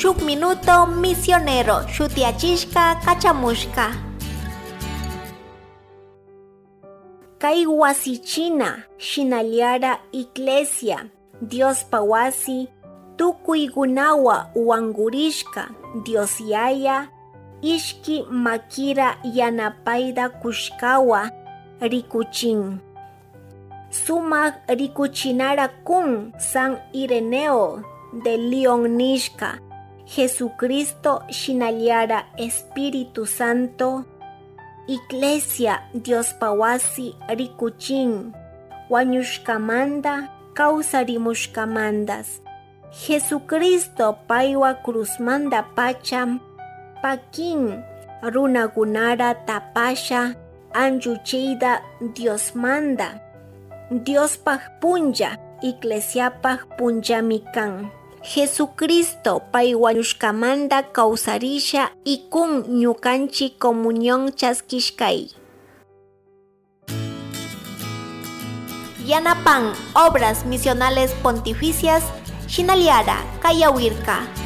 Shuk Minuto Misionero shutiachishka kachamushka. Kay wasichina shinallara iglesia Diospa wasi tukuykunawa wangurishka Dios Yaya ishki makira yanapayta kushkawa rikuchin. Sumak rikuchinara kun San Ireneo de León nishka Jesucristo shinallara Espíritu Santo Iglesia Diospa wasi rikuchin wañushkamanta kawsarimushkamantas Jesucristo paywa cruzmanta pacha pakin runakunara tapasha anchuchiyta Diosmanta Diospaj punlla iglesiapaj punllami kan. Jesucristo pay wañushkamanta kawsarisha ikun ñukanchik comunión chaskishkay. Yanapan Obras Misionales Pontificias Shinallara Kayawirka.